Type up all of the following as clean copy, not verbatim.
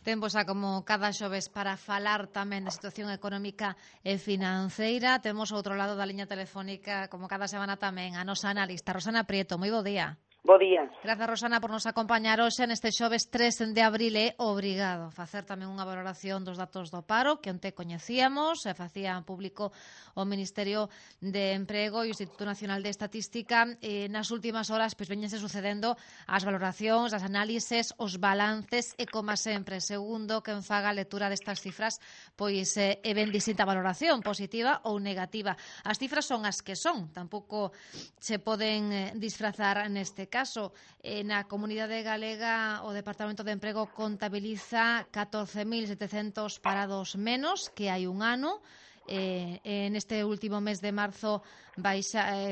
Tempo xa como cada xoves para falar tamén da situación económica e financeira. Temos ao outro lado da liña telefónica, como cada semana tamén, a nosa analista, Rosana Prieto. Moi bo día. Bo día. Grazas, Rosana, por nos acompañar hoxe neste xoves 3 de abril. É obrigado facer tamén unha valoración dos datos do paro que onte coñecíamos, facía público o Ministerio de Emprego e o Instituto Nacional de Estatística. Nas últimas horas pois veñense sucedendo as valoracións, as análises, os balances e, como sempre, segundo quen faga a lectura destas cifras, pois é ben distinta valoración, positiva ou negativa. As cifras son as que son, tampouco se poden disfrazar neste caso. Na Comunidade Galega o Departamento de Emprego contabiliza 14.700 parados menos que hai un ano. Neste último mes de marzo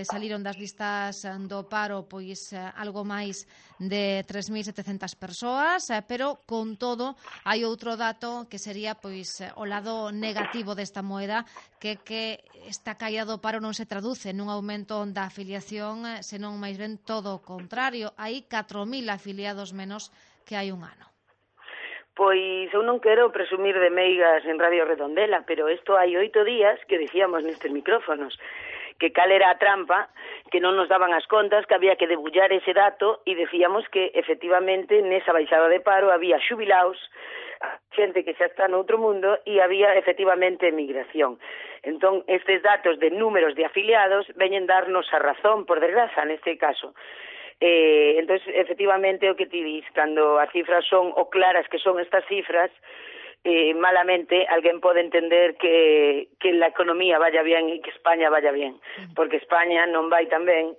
saliron das listas do paro pois algo máis de 3.700 persoas, pero con todo hai outro dato que sería pois o lado negativo desta moeda, que esta caída do paro non se traduce nun aumento da afiliación, senón máis ben todo o contrario. Hai 4.000 afiliados menos que hai un ano. Pois eu non quero presumir de meigas en Radio Redondela, pero isto hai 8 días que dicíamos nestes micrófonos que cal era a trampa, que non nos daban as contas, que había que debullar ese dato, e decíamos que efectivamente nesa baixada de paro había xubilaos, xente que xa está no outro mundo, e había efectivamente emigración. Entón, estes datos de números de afiliados veñen darnos a razón, por desgraza, neste caso. Entón, efectivamente, o que ti dis, cando as cifras son o claras que son estas cifras, malamente alguén pode entender que la economía vaya bien e que España vaya bien, porque España non vai tan ben,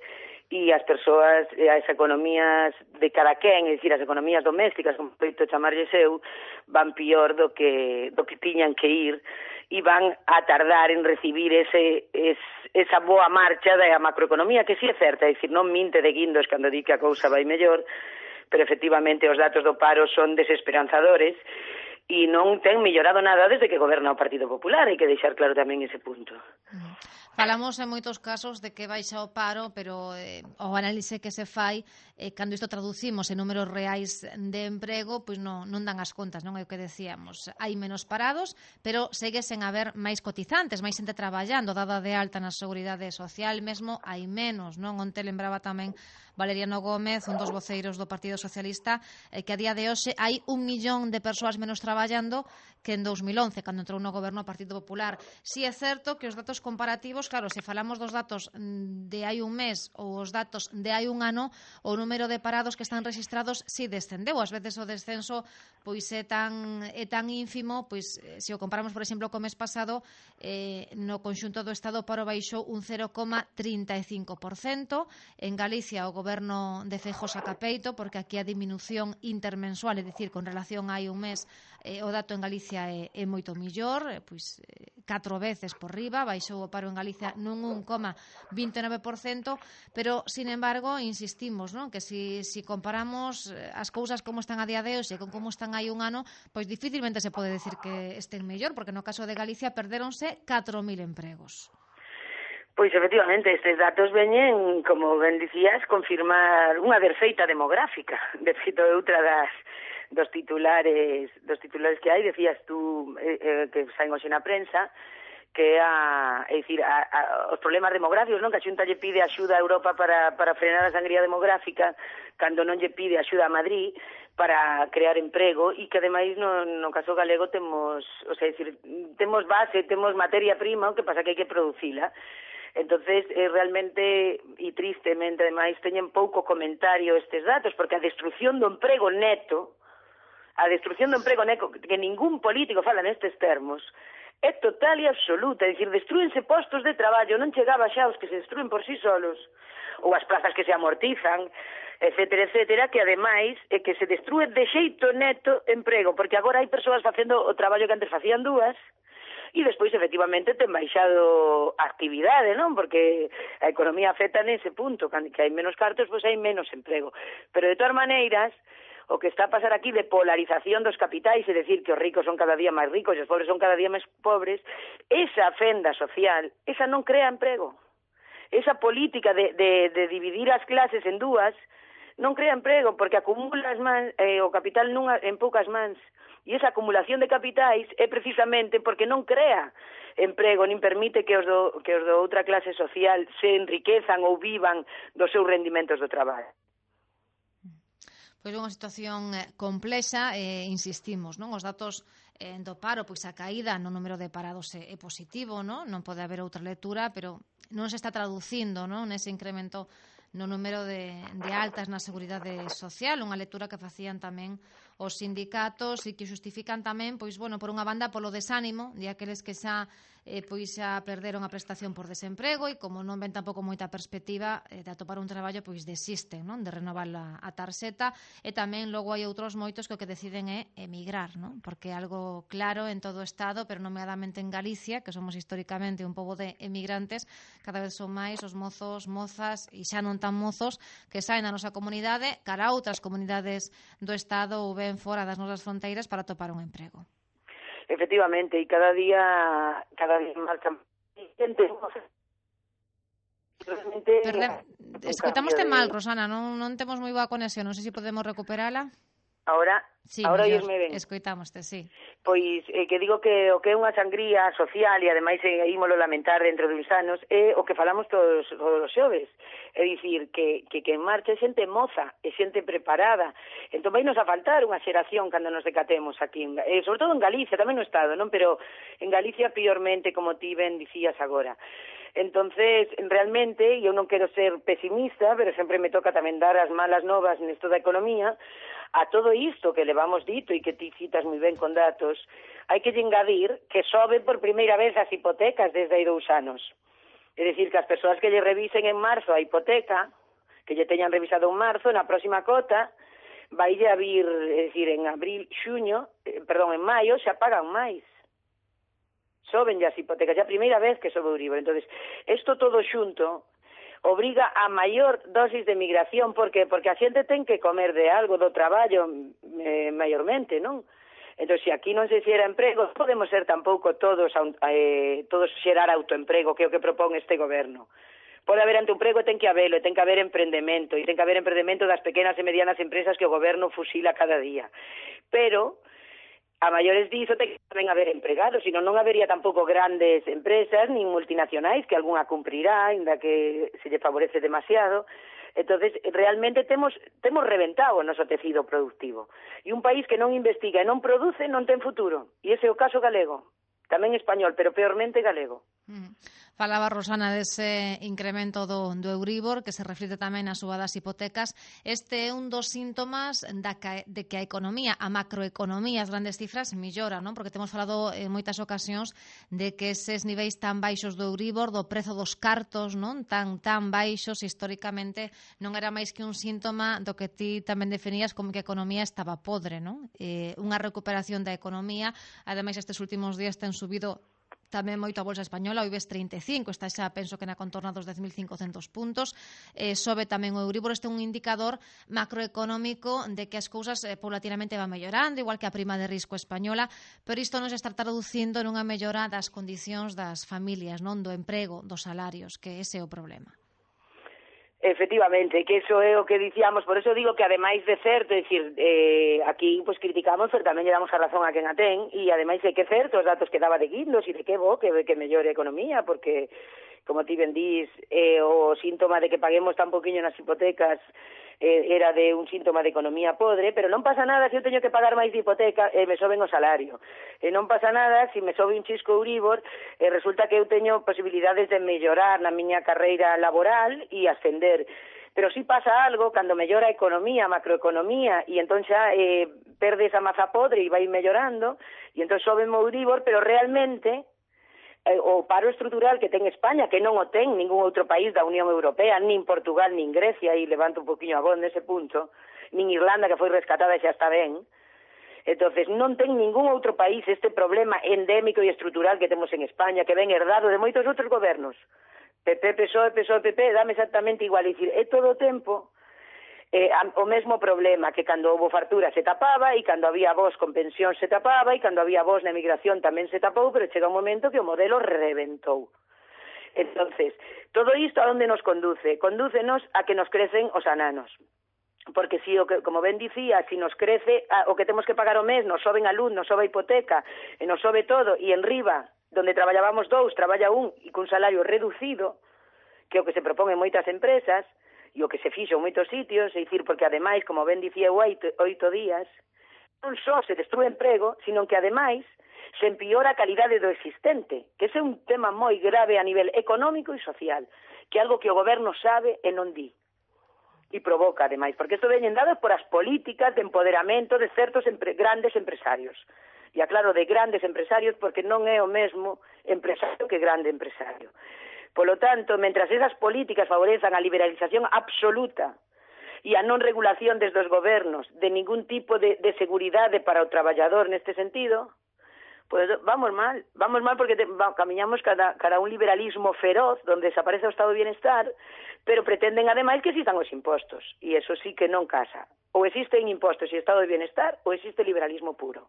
e as persoas, as economías de cada quen, é dicir, as economías domésticas, como feito chamarlle eu, van pior do que tiñan que ir, e van a tardar en recibir esa boa marcha da macroeconomía, que si é certa, é dicir, non minte de guindos cando di que a cousa vai mellor, pero efectivamente os datos do paro son desesperanzadores e non ten mellorado nada desde que goberna o Partido Popular, hai que deixar claro tamén ese punto. Falamos en moitos casos de que baixa o paro, pero o análise que se fai, cando isto traducimos en números reais de emprego, pois non dan as contas, non é o que decíamos. Hai menos parados, pero segue sen haber máis cotizantes, máis xente traballando, dada de alta na Seguridade Social, mesmo hai menos, non? Onte lembraba tamén Valeriano Gómez, un dos voceiros do Partido Socialista, que a día de hoxe hai 1 millón de persoas menos traballando que en 2011, cando entrou no goberno o Partido Popular. Si é certo que os datos comparativos, claro, se falamos dos datos de hai un mes ou os datos de hai un ano, o número de parados que están rexistrados si descendeu. Ás veces o descenso pois é tan ínfimo, pois se o comparamos, por exemplo, co mes pasado, no conxunto do Estado o paro baixou un 0,35%. En Galicia o goberno de Feijóo saca peito, porque aquí a diminución intermensual, é dicir, con relación a hai un mes, o dato en Galicia é moito millor, pois 4 veces por riba, baixou o paro en Galicia nun 1,29%, pero, sin embargo, insistimos, non? Que si comparamos as cousas como están a día de hoxe con como están hai un ano, pois dificilmente se pode decir que estén mellor, porque no caso de Galicia perdéronse 4.000 empregos. Pois, efectivamente, estes datos veñen, como ben dicías, confirmar unha verfeita demográfica. De feito, outra dos titulares que hai, decías tú, que saen hoxe na prensa, que os problemas demográficos, non? Que a Xunta lle pide axuda a Europa para frenar a sangría demográfica, cando non lle pide axuda a Madrid para crear emprego, e que ademais no caso galego temos base, temos materia prima, o que pasa que hai que producila. Entonces, realmente, e tristemente, ademais, teñen pouco comentario estes datos, porque a destrucción do emprego neto, que ningún político fala nestes termos, é total e absoluta, é dicir, destrúense postos de traballo, non chegaba xa os que se destruen por sí solos, ou as plazas que se amortizan, etcétera, etcétera, que ademais é que se destrúe de xeito neto emprego, porque agora hai persoas facendo o traballo que antes facían dúas, e despois, efectivamente, ten baixado a actividade, non? Porque a economía afecta nese punto, que hai menos cartos, pois hai menos emprego. Pero, de todas maneiras, o que está a pasar aquí de polarización dos capitais, é dicir, que os ricos son cada día máis ricos e os pobres son cada día máis pobres, esa fenda social, esa non crea emprego. Esa política de dividir as clases en dúas non crea emprego, porque acumula o capital en poucas mans. E esa acumulación de capitais é precisamente porque non crea emprego, nin permite que os do outra clase social se enriquezan ou vivan dos seus rendimentos do traballo. Pois é unha situación complexa, insistimos, non? Os datos do paro, pois a caída no número de parados é positivo, non pode haber outra lectura, pero non se está traducindo, non, nese incremento no número de altas na Seguridade Social, unha lectura que facían tamén os sindicatos e que justifican tamén, pois, bueno, por unha banda polo desánimo de aqueles que xa perderon a prestación por desemprego e como non ven tampouco moita perspectiva de atopar un traballo, pois desisten, non, de renovar a tarxeta, e tamén logo hai outros moitos que o que deciden é emigrar, non, porque é algo claro en todo o Estado, pero nomeadamente en Galicia, que somos históricamente un pobo de emigrantes, cada vez son máis os mozos, mozas e xa non tan mozos que saen da nosa comunidade cara a outras comunidades do Estado ou ben fora das nosas fronteiras para atopar un emprego. Efectivamente, e cada día marchan xente. Escoitamoste mal, Rosana, non temos moi boa conexión, non sei se podemos recuperala. Ahora, sí, ahora oírme ben. Escoitamoste, sí. Pois que digo que o que é unha sangría social e ademais ímolo lamentar dentro de uns anos é o que falamos todos os xoves. É dicir, que en marcha é xente moza, é xente preparada. Entón vai nos a faltar unha xeración cando nos decatemos aquí, sobre todo en Galicia, tamén no Estado, non? Pero en Galicia piormente, como ti ben dicías agora. Entonces, realmente, eu non quero ser pesimista, pero sempre me toca tamén dar as malas novas nesto da economía. A todo isto que levamos dito e que ti citas moi ben con datos, hai que engadir que soben por primeira vez as hipotecas desde hai 2 anos. É dicir, que as persoas que lle revisen en marzo a hipoteca, que lle teñan revisado en marzo, na próxima cota, vai a vir, é dicir, en en maio, xa pagan máis. Soben as hipotecas, a primeira vez que sobe o Euribor. Entonces, isto todo xunto obriga a maior dosis de migración, porque a xente ten que comer de algo, do traballo, maiormente, non? Entón, se aquí non se xera emprego, podemos ser tampouco todos xerar autoemprego, que é o que propón este goberno. Pode haber autoemprego e ten que habelo, e ten que haber emprendemento, e ten que haber emprendemento das pequenas e medianas empresas que o goberno fusila cada día. Pero a maiores diso ten que tamén haber empregados, senón non habería tampouco grandes empresas nin multinacionais, que algunha cumprirá, ainda que se lle favorece demasiado. Entonces, realmente temos reventado o noso tecido productivo. E un país que non investiga e non produce non ten futuro. E ese é o caso galego. Tamén español, pero peormente galego. Falaba Rosana dese incremento do Euribor, que se reflite tamén nas suba das hipotecas. Este é un dos síntomas de que a economía, a macroeconomía, as grandes cifras, mellora, non? Porque temos falado en moitas ocasións de que eses niveis tan baixos do Euribor, do prezo dos cartos, non? Tan baixos, históricamente, non era máis que un síntoma do que ti tamén definías como que a economía estaba podre, non? Unha recuperación da economía, ademais estes últimos días ten subido tamén moito a Bolsa Española, o IBEX 35, está xa, penso que na contorna dos 10.500 puntos, sobe tamén o Euribor. Este é un indicador macroeconómico de que as cousas paulatinamente van mellorando, igual que a prima de risco española, pero isto non se está traducindo nunha mellora das condicións das familias, non, do emprego, dos salarios, que ese é o problema. Efectivamente, que eso é o que dicíamos, por eso digo que ademais de certo, é dicir, aquí pues criticamos, pero tamén lle damos a razón a quen a ten, e ademais é que certo os datos que daba de Guindos e de que bo, que mellore a economía, porque, como ti ben dís, o síntoma de que paguemos tan poquinho nas hipotecas era de un síntoma de economía podre, pero non pasa nada se eu teño que pagar máis de hipoteca e me soben o salario. E non pasa nada se me sobe un chisco Euribor e resulta que eu teño posibilidades de mellorar na miña carreira laboral e ascender. Pero si pasa algo cando mellora a economía, a macroeconomía, e entón xa perde esa maza podre e vai mellorando, e entón sobe o Euribor, pero realmente o paro estrutural que ten España, que non o ten ningún outro país da Unión Europea, nin Portugal, nin Grecia, e levanto un poquinho a voz nese punto, nin Irlanda, que foi rescatada e xa está ben. Entonces, non ten ningún outro país este problema endémico e estrutural que temos en España, que ven herdado de moitos outros gobernos. PP, PSOE, PP, dame exactamente igual. Dicir, é todo o tempo o mesmo problema, que cando houve fartura se tapaba, e cando había vos con pensión se tapaba, e cando había vos na emigración tamén se tapou, pero chega un momento que o modelo reventou. Entonces, todo isto a onde nos conduce? Condúcenos a que nos crecen os ananos. porque si como ben dicía, si nos crece o que temos que pagar o mes, nos soben a luz, nos sobe a hipoteca, e nos sobe todo, e en riba, donde traballábamos 2, traballa 1 e cun salario reducido, que é o que se propón en moitas empresas e o que se fixo en moitos sitios, é dicir, porque ademais, como ben dicía 8 días, non só se destrue emprego, sino que ademais se empeora a calidade do existente, que ese é un tema moi grave a nivel económico e social, que é algo que o goberno sabe e non di. E provoca, ademais, porque isto veñen dados por as políticas de empoderamento de certos grandes empresarios. E aclaro, de grandes empresarios, porque non é o mesmo empresario que grande empresario. Polo tanto, mentras esas políticas favorezan a liberalización absoluta e a non regulación desde os gobernos de ningún tipo de seguridade para o traballador neste sentido, pues vamos mal porque camiñamos cara a un liberalismo feroz donde desaparece o estado de bienestar, pero pretenden ademais que existan os impostos, e eso sí que non casa. Ou existen impostos e estado de bienestar, ou existe liberalismo puro.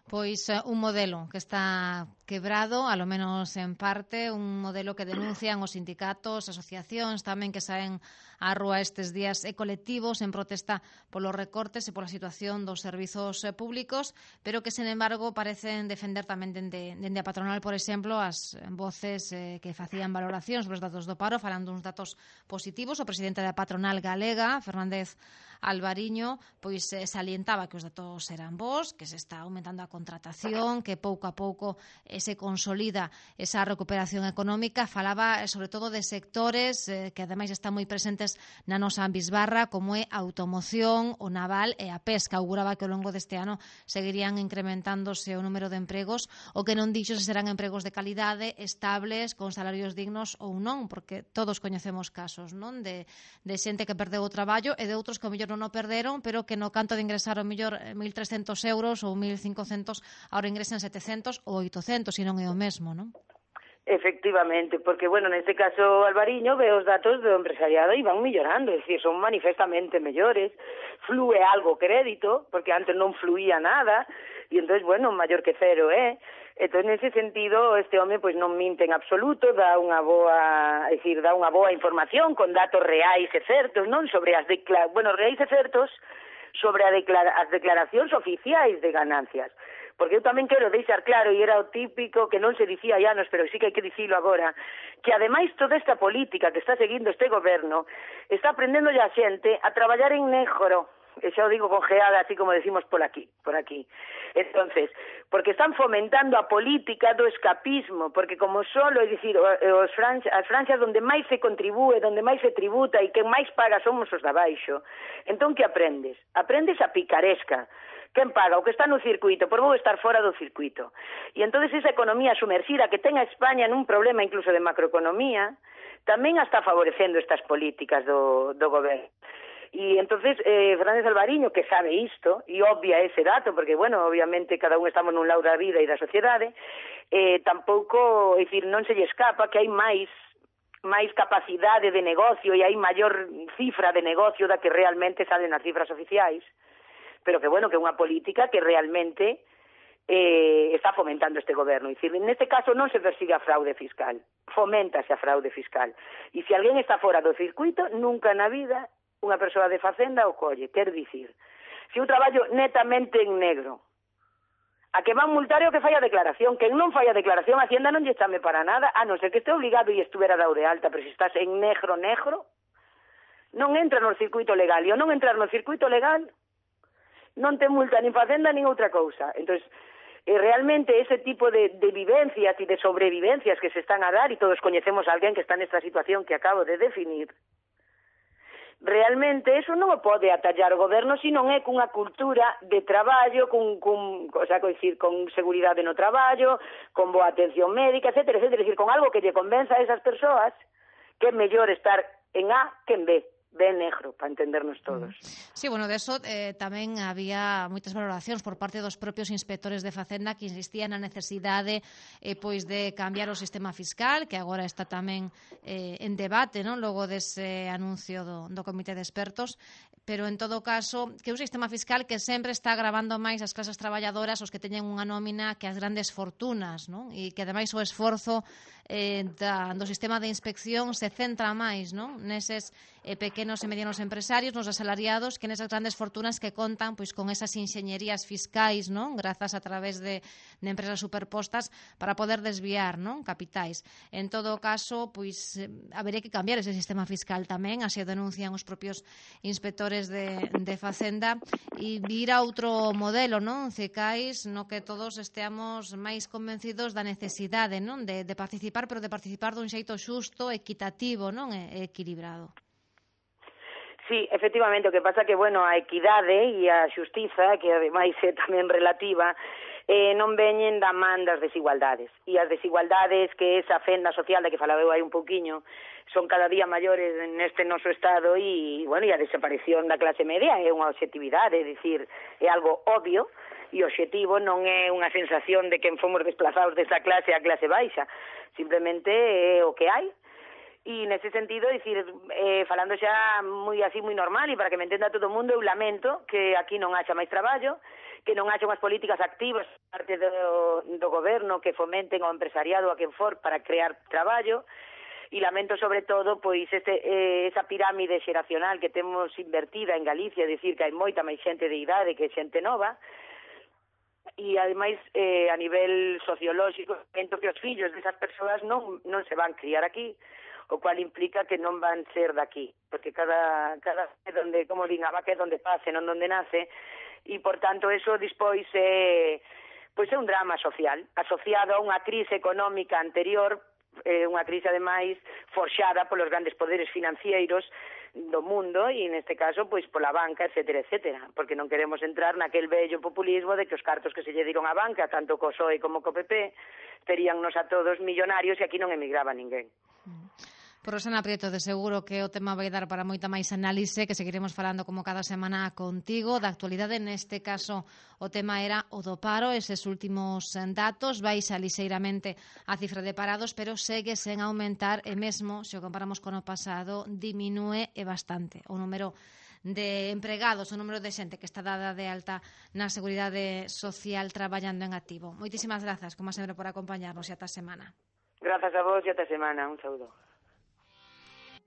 Pois un modelo que está quebrado, alo menos en parte, un modelo que denuncian os sindicatos, asociacións tamén que saen á rúa estes días e colectivos en protesta polos recortes e pola situación dos servizos públicos, pero que, sen embargo, parecen defender tamén dende a patronal, por exemplo, as voces que facían valoracións sobre os datos do paro, falando uns datos positivos. O presidente da patronal galega, Fernández Alvariño, pois salientaba que os datos eran bons, que se está aumentando a contratación, que pouco a pouco se consolida esa recuperación económica. Falaba sobre todo de sectores que ademais están moi presentes na nosa bisbarra, como é a automoción, o naval e a pesca. Auguraba que ao longo deste ano seguirían incrementándose o número de empregos, o que non dixo se serán empregos de calidade, estables, con salarios dignos ou non, porque todos coñecemos casos, non, de xente que perdeu o traballo e de outros que ao mellor non o perderon, pero que no canto de ingresar ao mellor 1.300 euros ou 1.500, agora ingresen 700 ou 800, e non é o mesmo, non? Efectivamente, porque, bueno, neste caso Alvariño ve os datos do empresariado e van mellorando, é dicir, son manifestamente mellores, flúe algo crédito, porque antes non fluía nada, e entón, bueno, maior que cero, Entón, nese sentido, este home pois non minte en absoluto, dá unha boa información con datos reais e certos, non sobre reais e certos sobre as declaracións oficiais de ganancias. Porque eu tamén quero deixar claro, e era o típico que non se dicía hai anos, pero sí que hai que dicilo agora, que ademais toda esta política que está seguindo este goberno está aprendendo a xente a traballar en negro, e xa o digo con geada, así como decimos por aquí. Entonces, porque están fomentando a política do escapismo, porque como solo, é dicir, as franxas onde máis se contribúe, onde máis se tributa e que máis paga somos os de abaixo. Entón, que aprendes? Aprendes a picaresca. Quen paga? O que está no circuito, por vou estar fora do circuito. E entón esa economía sumerxida que ten a España nun problema incluso de macroeconomía, tamén está favorecendo estas políticas do goberno. E entonces Fernández Alvariño, que sabe isto, e obvia ese dato, porque, bueno, obviamente cada un estamos nun lado da vida e da sociedade, tampouco, é dicir, non se lle escapa que hai máis capacidade de negocio e hai maior cifra de negocio da que realmente salen nas cifras oficiais, pero que, bueno, que é unha política que realmente está fomentando este goberno. É dicir, neste caso non se persigue a fraude fiscal, foméntase a fraude fiscal. E se alguén está fora do circuito, nunca na vida unha persoa de Facenda o colle. Quer dicir, se eu traballo netamente en negro, a que van multar é o que fai a declaración. Quen non fai a declaración, a Hacienda non lle chame para nada, a non ser que este obligado e estuvera dado de alta, pero se estás en negro, non entra no circuito legal. E ao non entrar no circuito legal, non te multa nin Facenda nin outra cousa. Entón, realmente ese tipo de vivencias e de sobrevivencias que se están a dar, e todos coñecemos a alguén que está nesta situación que acabo de definir, realmente eso non o pode atallar o goberno se non é cunha cultura de traballo, con seguridade no traballo, con boa atención médica, etcétera, etcétera, con algo que lle convenza a esas persoas que é mellor estar en A que en B. Ben negro, para entendernos todos. Sí, bueno, de eso tamén había moitas valoracións por parte dos propios inspectores de Facenda que insistían na necesidade pois de cambiar o sistema fiscal, que agora está tamén en debate, non? Logo dese anuncio do Comité de Expertos, pero en todo caso que é un sistema fiscal que sempre está agravando máis as clases traballadoras, os que teñen unha nómina, que as grandes fortunas, non? E que ademais o esforzo do sistema de inspección se centra máis, non? Neses pequenos e medianos empresarios, nos asalariados, que nesas grandes fortunas que contan pois con esas inxeñerías fiscais, non? Grazas a través de empresas superpostas para poder desviar, non? Capitais. En todo caso, pois habería que cambiar ese sistema fiscal tamén, así o denuncian os propios inspectores de Facenda, e vir a outro modelo, non? Cecais, no que todos esteamos máis convencidos da necesidade, non? De participar, pero de participar dun xeito xusto, equitativo, non? E equilibrado. Sí, efectivamente, o que pasa que, bueno, a equidade e a xustiza, que ademais é tamén relativa, non veñen da man das desigualdades. E as desigualdades que esa fenda social da que falaba eu hai un pouquiño son cada día maiores neste noso Estado e, bueno, e a desaparición da clase media é unha obxectividade, é dicir, é algo obvio e o obxectivo non é unha sensación de que fomos desplazados desa clase a clase baixa, simplemente é o que hai. E nese sentido, dicir, falando xa moi así, moi normal, e para que me entenda todo o mundo, eu lamento que aquí non haxa máis traballo, que non haxa unhas políticas activas parte do goberno que fomenten ao empresariado a quen for para crear traballo, e lamento sobre todo pois esa pirámide xeracional que temos invertida en Galicia, dicir que hai moita máis xente de idade que xente nova, e ademais a nivel sociolóxico, lamento que os fillos desas persoas non se van criar aquí, o cual implica que non van ser daqui, porque cada donde, como din, a vaca é donde pase, non donde nace, e por tanto eso despois é un drama social, asociado a unha crise económica anterior, unha crise ademais forxada polos grandes poderes financieros do mundo e neste caso pois pola banca, etcétera, etcétera, porque non queremos entrar naquel vello populismo de que os cartos que se lle diron á banca, tanto co PSOE como co PP, teríannos a todos millonarios e aquí non emigraba ninguén. Por Rosana Prieto, de seguro que o tema vai dar para moita máis análise, que seguiremos falando como cada semana contigo. Da actualidade, neste caso, o tema era o do paro, eses últimos datos, baixa lixeiramente a cifra de parados, pero segue sen aumentar e mesmo, se o comparamos con o pasado, diminúe e bastante o número de empregados, o número de xente que está dada de alta na Seguridade Social traballando en activo. Moitísimas grazas, como sempre, por acompañarnos e ata a semana. Grazas a vos e ata a semana. Un saúdo.